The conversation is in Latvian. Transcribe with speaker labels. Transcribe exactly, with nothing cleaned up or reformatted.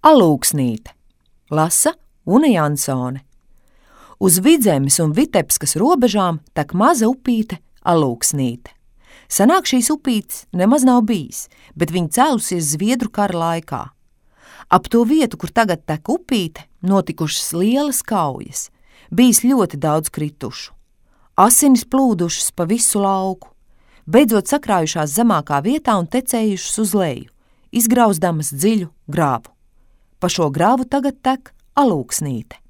Speaker 1: Alūksnīte. Lasa Una Jansone. Uz Vidzemes un Vitebskas robežām tek maza upīte Alūksnīte. Senāk šīs upītes nemaz nav bijis, bet viņa cēlusies Zviedru kara laikā. Ap to vietu, kur tagad tek upīte, notikušas lielas kaujas. Bijis ļoti daudz kritušu. Asinis plūdušas pa visu lauku, beidzot sakrājušās zemākā vietā un tecējušas uz leju, izgrauzdamas dziļu grāvu. Pa šo grāvu tagad tek Alūksnīte.